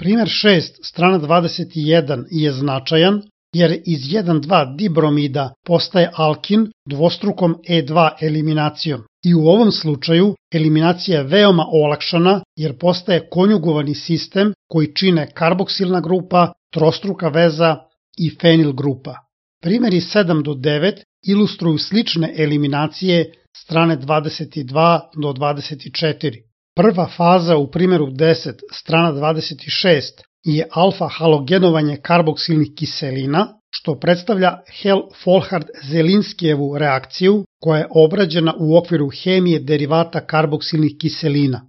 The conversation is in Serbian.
Primer 6, strana 21 je značajan jer iz 1,2 dibromida postaje alkin dvostrukom E2 eliminacijom i u ovom slučaju eliminacija je veoma olakšana jer postaje konjugovani sistem koji čine karboksilna grupa, trostruka veza i fenil grupa. Primeri 7 do 9 ilustruju slične eliminacije strane 22 do 24. Prva faza u primjeru 10, strana 26, je alfa-halogenovanje karboksilnih kiselina, što predstavlja Hell-Folhard-Zelinskijevu reakciju koja je obrađena u okviru hemije derivata karboksilnih kiselina.